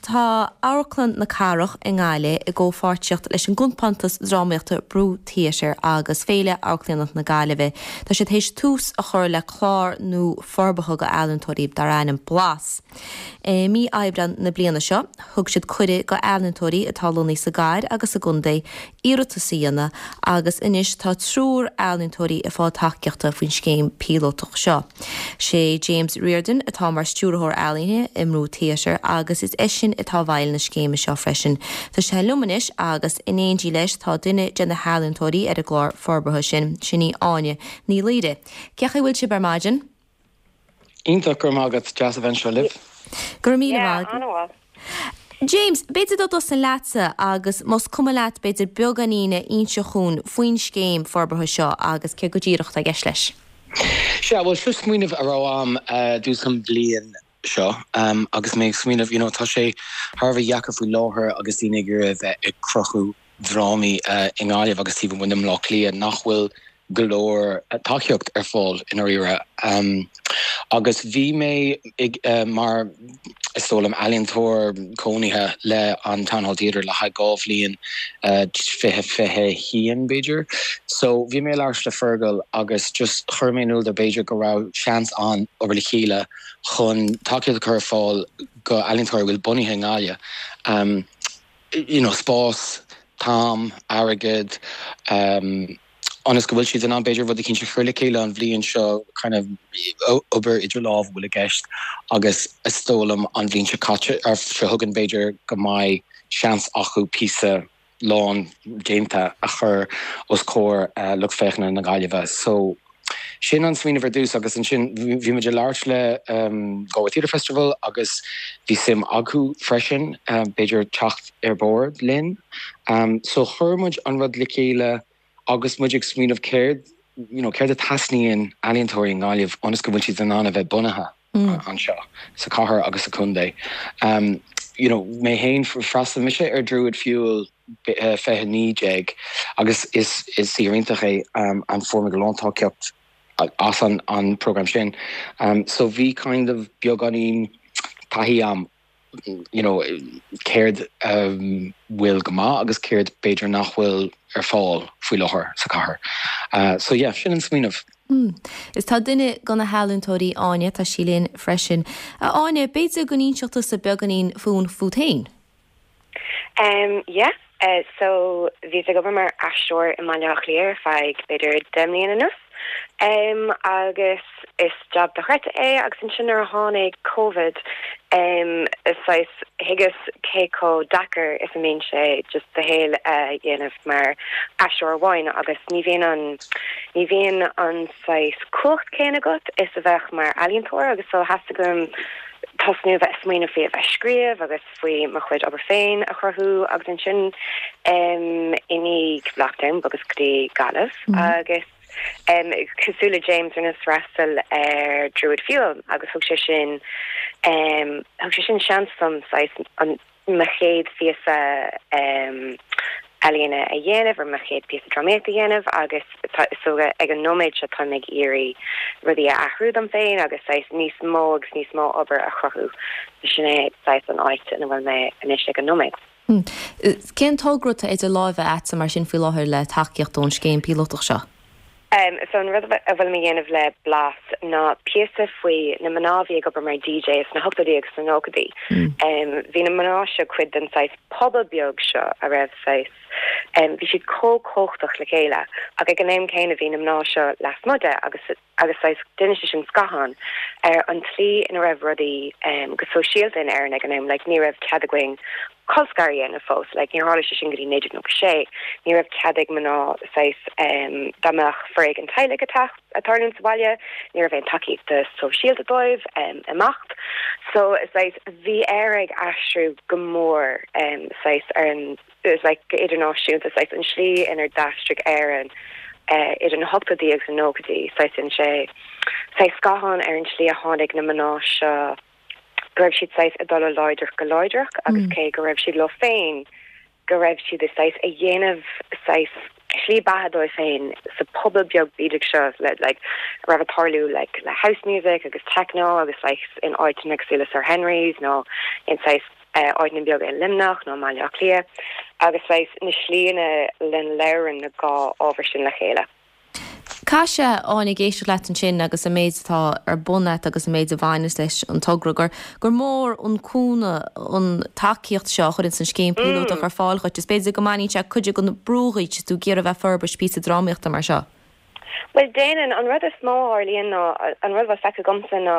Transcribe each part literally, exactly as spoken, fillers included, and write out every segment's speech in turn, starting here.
Tá Amharclann na Cathrach i nGaillimh i gcomhpháirtíocht leis an gcompántas drámaíochta Brú Theatre agus Féile Amharclannaíochta na Gaillimhe. Tá siad théis tús a chur le clár nua forbartha go ealaíontóirí dar ainm Blas. E, mí Aibreán na bliana seo, thug siad cuireadh go ealaíontóirí atá lonnaithe sa gcathair agus sa gcontae iarratas a dhéanamh agus anois tá triúr ealaíontóirí ag fáil tacaíochta faoin scéim píolótach seo. Sé James Riordan atá mar stiúrthóir ealaíne i mBrú Theatre agus is eisean atá i bhfeighil na scéime seo freisin. Tá sé liom anois agus in éindí leis tá duine de na healaíontóirí ar an gclár forbartha sin sin í Áine Ní Laoire. Cén chaoi a bhfuil sibh ar maidin? Iontach go maith agat deas a bheith anseo libh. Go míle maith. James, b'fhéidir dá dtosóinn leatsa agus más cuma leat b'fhéidir beagáinín a inse dhúinn faoin scéim forbartha seo agus cé go díreach atá i gceist leis. Sea bhuel seo smaoineamh a raibh agam dtús an bhliain seo um, agus mé ag smaoineamh you know, tá sé thar a bheith deacair faoi láthair agus daoine ag iarraidh bheith ag cruthú drámaí uh, i nGaillimh agus taobh amuigh de Bhaile Átha Cliath nach bhfuil go leor tacaíocht ar fáil in áirithe. Um, agus bhí mé ag, uh, mar is dóigh liom ealaíontóir cónaithe le an Town Hall Theatre le haghaidh dhá bhliain uh, fiche fiche haon b'fhéidir. So bhí mé leis le Fergal agus just chuir mé in iúl b'fhéidir go raibh seans ann obair le chéile chun tacaíocht a chur ar fáil go ealaíontóirí bhfuil bunaithe i nGaillimh. Um, you know, spás, t-am, airgead, um, ionas go bhfuil siad in ann b'fhéidir rud éicint a chur le chéile an bhliain seo kind of obair idir lámh bhfuil i gceist agus is dóigh liom an bhliain seo caite ar seo chugainn b'fhéidir go mbeidh seans acu píosa lán déanta a chur os comhair uh, lucht féachana na Gaillimhe. So sin an smaoineamh ar dtús agus ansin bhí muid ag labhairt le um, Galway Theatre Festival agus bhí suim acu freisin um, b'fhéidir teacht ar bord linn. Um, so chuir muid an rud le chéile agus muid ag smaoineamh céard you know, céard a theastaíonn ealaíontóirí i nGaillimh ionas go bhfuil siad in ann a bheith bunaithe mm. anseo sa chathair agus sa chontae. Um, you know, mé féin d'fhreastail mise ar Druid Fuel uh, fiche naoi déag agus is is iontach é um, an form go lántáceacht as an an program sin. Um, so bhí kind of beagáinín taithí agam you know, céard um, bhfuil go maith agus céard b'fhéidir nach bhfuil ar fáil faoi láthair sa chathair. Uh, so yeah, sin an smaoineamh. Mm. Is tá duine de na healaíontóirí Áine tá sí linn freisin. Áine b'fhéidir go n-inseodh tusa beagáinín fún fút féin. Um, yeah. Uh, so bhí ag obair mar aisteoir i mBaile Átha Cliath feadh b'fhéidir deich mbliana anuas. Um, agus is job dochreidte é agus ansin nuair a tháinig COVID um, is thuigeas cé chomh deacair is a bhíonn sé just do shaol uh, dhéanamh mar aisteoir amháin agus ní bhíonn an ní bhíonn an saghas cumhacht céanna agat is a bheadh mar ealaíontóir agus so theastaigh uaim tosnú bheith smaoineamh faoi a bheith scríobh agus faoi mo chuid obair féin a chruthú agus ansin um, i ndiaidh lockdown agus go dtí Gaillimh mm -hmm. agus um, cosúil le James rinneas freastal ar Druid Fuel agus thug sé sin um, thug sé sin seans dom an mo chéad phíosa um, ealaíne a dhéanamh ar mo chéad píosa drámaíochta a dhéanamh agus so ag an nóiméad seo tá ag iarraidh rudaí a athrú dom féin agus saghas níos mó agus níos mó obair a chruthú sin é saghas an áit ina bhfuil mé anois ag an nóiméad. Hmm. Cén togra atá idir lámha agat mar sin faoi láthair le tacaíocht ón scéim píolótach seo? Um, so an rud a bhfuil mé ag déanamh le Blas ná píosa faoi na mná a bhí ag obair mar DJ sna hochtóidí agus sna nóchaidí. Mm. Um, bhí na mná seo cuid den saghas pobal beag seo a raibh saghas um, bhí siad chomh cumhachtach le chéile ach ag an am céanna bhí na mná seo lasmuigh de agus agus saghas duine sin scáthán ar an tslí ina raibh rudaí um, go sóisialta in Éirinn ag an am like, ní raibh cead againn colscaradh a dhéanamh fós like, níor tharla sé sin go dtí naoi déag nócha sé ní raibh cead ag mná saghas um, dá mbeadh foréigean teaghlaigh ag tarlú sa bhaile ní raibh aon tacaíocht sóisialta dóibh um, imeacht so saghas bhí Éire ag athrú go mór um, saghas ar an like, idirnáisiúnta saghas an slí inar d'aistrigh Éire uh, idir na hochtóidí agus na nóchaidí saghas sé saghas scáthán ar an slí a tháinig na mná seo go raibh siad saghas ag dul ó láidir go láidreach agus mm. cé go raibh siad leo féin go raibh siad saghas ag déanamh saghas slí beatha dóibh féin sa pobal beag bídeach seo le like raibh ag tarlú like le house music agus techno agus like in áiteanna cosúil le Sir Henry's nó in saghas Áiteanna beaga i Luimneach nó Baile Átha Cliath agus saghas na slíanna lena labhrann na dhá ábhar sin le chéile. Caithfidh sé, Áine, ag éisteacht leat ansin agus an méid atá ar bun agat agus an méid a bhaineas leis an togra gur gur mór an cúnamh an tacaíocht seo a chuireann an scéim píolótach ar fáil dhuit. Is b'fhéidir go mbaineann sé cuid den brú díot is tú ag iarraidh a bheith ag forbairt píosa drámaíochta mar seo. Well déanann an rud is mó a tharlaíonn ná an rud atá feicthe agamsa ná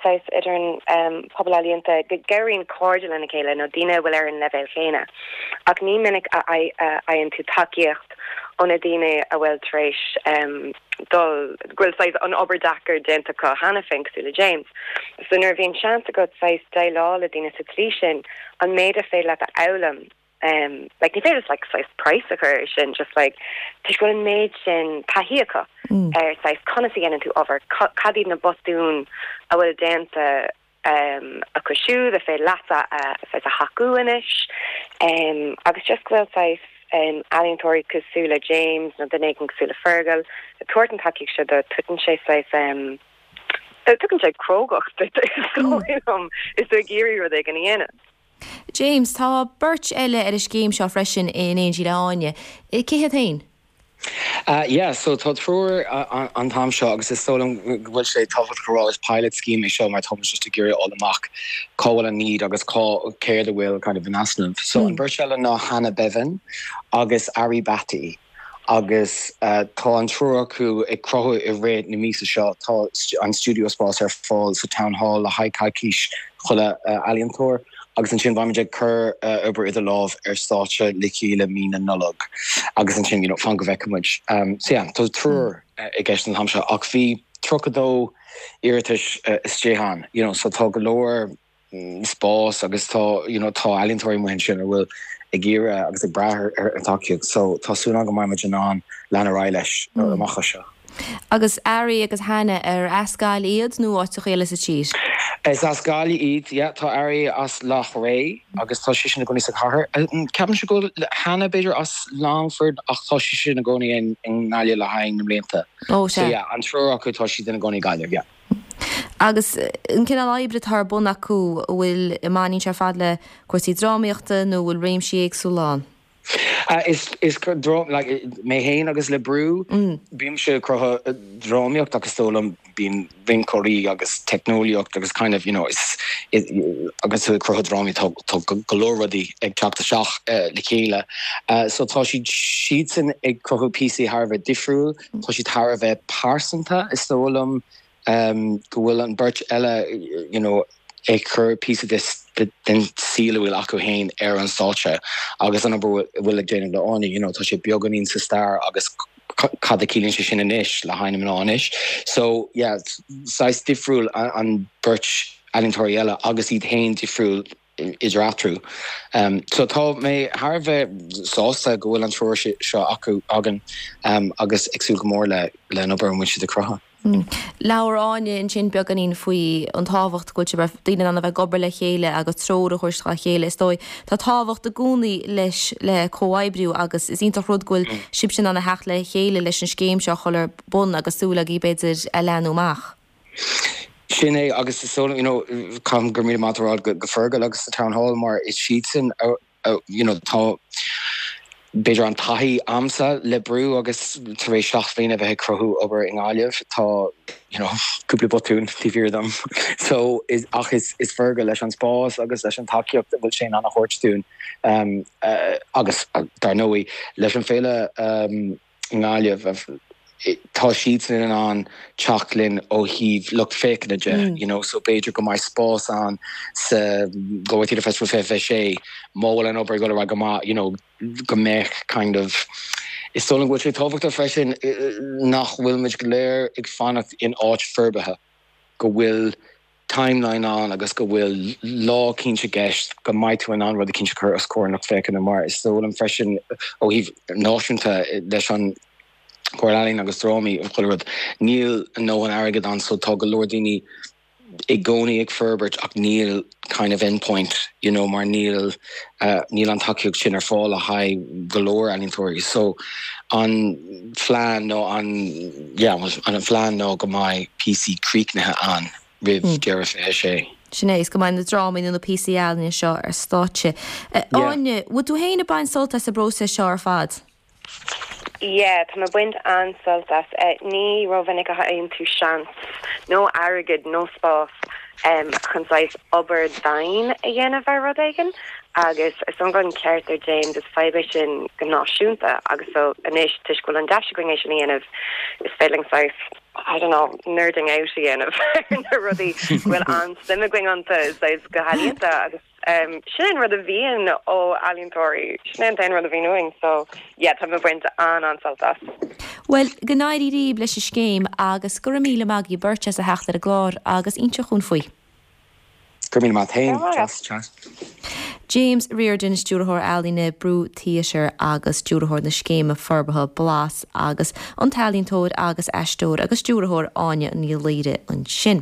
saghas idir an um, pobal ealaíonta go gcabhraíonn cairde lena chéile nó daoine a bhfuil ar an leibhéal chéanna. Ach ní minic a fhaigheann tú tacaíocht ó na daoine a bhfuil tar éis um, dul go bhfuil saghas an obair deacair déanta acu cheana féin cosúil le James. So nuair a bhíonn seans agat saghas déileáil le daoine sa tslí sin an méid a féidir leat a fhoghlaim um, like ní féidir like saghas price a chur sin just like tá go an méid sin taithí acu mm. ar saghas conas a dhéanann tú obair cad iad na botúin a bhfuil déanta um, acu siúd a féidir leat a saghas a thacú anois um, agus just go bhfuil saghas um, ealaíontóirí cosúil le James nó duine éigin cosúil le Fergal tuairt an tacaíocht seo do tugann sé saghas um, tugann sé crógacht um, is tú ag iarraidh rud éigin a dhéanamh. James tá beirt eile ar an scéim seo freisin in éindí le hÁine. Cé hiad féin? Uh, yeah, so tá triúr uh, an t-am seo agus is dóigh liom go bhfuil sé tábhachtach a rá is pilot scheme é seo mar tá just ag iarraidh fháil amach cá bhfuil an need agus cá céard a bhfuil kind of in easnamh. So mm. an bheirt eile ná Hannah Bevan agus Ari Batty. agus uh, tá an triúr acu ag cruthú i rith na míosa seo tá an studio spás ar fáil sa Town Hall le haghaidh coicís chuile uh, ealaíontóir agus ansin beimid ag cur uh, obair idir lámh ar stáitse le chéile mí na Nollag agus ansin you know, fan go bhfeicfimid. Um, so yeah, tá triúr uh, i gceist an t-am seo ach bhí tríocha dó iarratais uh, isteach ann, you know, so tá go leor mm, spás agus tá you know, tá ealaíontóirí amuigh ansin a bhfuil ag iarraidh agus ag brath ar an tacaíocht, so tá súil agam go mbeimid in ann lean ar aghaidh leis mm. amach seo. Agus Ari agus Hannah ar as Gaillimh iad nó áiteacha eile sa tír. Is as Gaillimh iad yeah, tá Ari as Loch Ré agus tá sí sin i gcónaí sa chathair. Ceapaim go bhfuil Hannah b'fhéidir as Longford ach tá sí sin i gcónaí i nGaillimh le haghaidh na mblianta. Ó So yeah, an triúr acu tá siad ina gcónaí i Gaillimh, yeah. Agus an cineál oibre atá ar bun acu bhfuil i mbaineann sé fad le cúrsaí drámaíochta nó bhfuil réimsí éagsúla ann. Uh, is is like, mé féin agus le Brú mm. bímse ag cruthú drámaíocht agus dóigh liom bíonn rinceoirí agus teicneolaíocht agus kind of you know is is agus tú cruthú drámaí tá go leor rudaí ag teacht isteach uh, le chéile. Uh, so tá siad siadsan ag cruthú píosaí thar a bheith difriúil, tá siad thar a bheith pearsanta is dóigh liom um, go bhfuil an beirt eile you know, ag cur píosa den saol a bhfuil acu féin ar an stáitse agus an bhfuil ag déanamh le Áine you know, tá sé beagáinín sa stair agus cad a chiallaíonn sé sin anois le haghaidh na anois. So yeah, saghas difriúil an beirt ealaíontóirí eile agus iad féin difriúil idir eatarthu. Um, so tá mé thar a bheith sásta go bhfuil an triúr seo acu againn um, agus ag súil go mór le le an obair a bhfuil siad ag cruthú. Mm. Labhair Áine ansin beagáinín faoi an tábhacht go bhfuil daoine ann a bheith ag obair le chéile agus treoir a thabhairt dá chéile is dóigh. Tá tábhacht i gcónaí leis le comhoibriú agus is iontach rud go bhfuil mm. sibh sin ann a theacht le chéile leis an scéim seo chur ar bun agus súil agaibh b'fhéidir a leathnú amach. Sin é agus is you know, caithfidh go míle maith a rá go go Fergal agus the Town Hall mar is siadsan uh, you know, tá b'fhéidir an taithí agamsa le Brú agus tar éis seacht mbliana bheith ag cruthú obair i nGaillimh tá you know, cúpla botún taobh thiar dom so is ach is is Fergal leis an spás agus leis an tacaíocht bhfuil sé ann a thabhairt dúinn um, uh, agus uh, dar ndóigh leis an féile um, nGaillimh tá siad in ann teacht linn ó thaobh lucht féachana de mm. you know so b'fhéidir go mbeidh spás ann sa Galway Theatre Festival fiche fiche sé má bhfuil an obair go go maith you know go mbeidh kind of is dóigh liom go bhfuil sé tábhachtach freisin nach bhfuil muid go léir ag fanacht in áit forbartha go bhfuil timeline ann agus go bhfuil lá cinnte i gceist go mbeidh tú in ann rud eicínt a chur os comhair lucht féachana mar is dóigh liom freisin ó thaobh náisiúnta leis an Chomhairle Ealaíon agus Drámaí an chuile rud níl nó an airgead ann so tá go leor daoine i gcónaí ag forbairt ach níl kind of endpoint you know mar níl uh, níl an tacaíocht sin ar fáil le haghaidh go leor ealaíontóirí so an phlean nó an yeah, an phlean nó go mbeidh píosaí críochnaithe ann roimh mm. deireadh fiche sé. Sin é is go mbeidh na drámaí nó na píosaí ealaíne seo ar stáitse. Áine, bhfuil tú féin ag baint sult as an bpróiseas seo ar fad? Yeah, tá mé ag baint an-sult as. Eh, ní rómhinic a fhaigheann tú seans nó airgead nó spás um, chun saghas obair dian a dhéanamh ar rud éigin agus is an an ceart ar James is fadhb é sin go náisiúnta agus so anois toisc go bhfuil an deis againn é sin a dhéanamh is féidir saghas I don't know nerding out a dhéanamh na rudaí bhfuil an-suim againn iontu saghas go healaíonta agus um, sin rud a bhíonn ó ealaíontóirí sin an t-aon rud a bhíonn uainn so yeah tá mé ag baint an an-sult as. Well go n-éirí libh leis an scéim agus go raibh míle maith agaibh beirt as a theacht ar an gclár agus inse dúinn faoi. Gur mí mat féin James Riordan stiúrthóir ealaíne Brú Theatre agus stiúrthóir na scéime forbartha Blas agus an t-ealaíontóir agus aisteoir agus stiúrthóir Áine Ní Laoire ansin.